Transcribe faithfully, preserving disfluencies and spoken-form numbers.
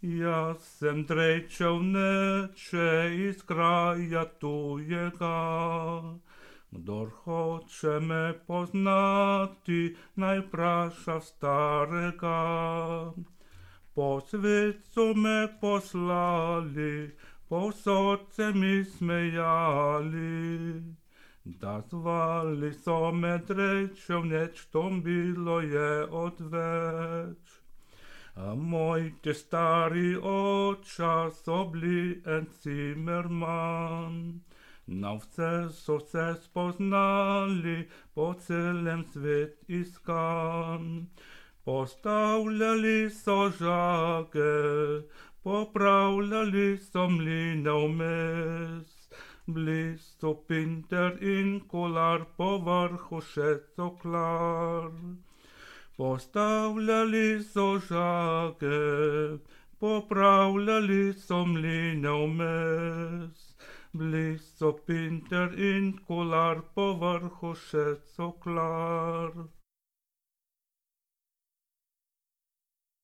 Ja sem trečel neče iz kraja tujega. Kdor hoče me poznati, naj vpraša starega. Po svetu me poslali, povsod se mi smejali. Da zvali so me trečev, neč to bilo je odveč. A moj te stari oča so bili en cimerman. Na vse so se spoznali, po celem svet iskan. Postavljali so žage, popravljali so mline vmes. Bili so pinter in kolar, povrhu še coklar. Postavljali so žage, popravljali so mline vmes. Bili so pinter in kolar, povrhu še coklar.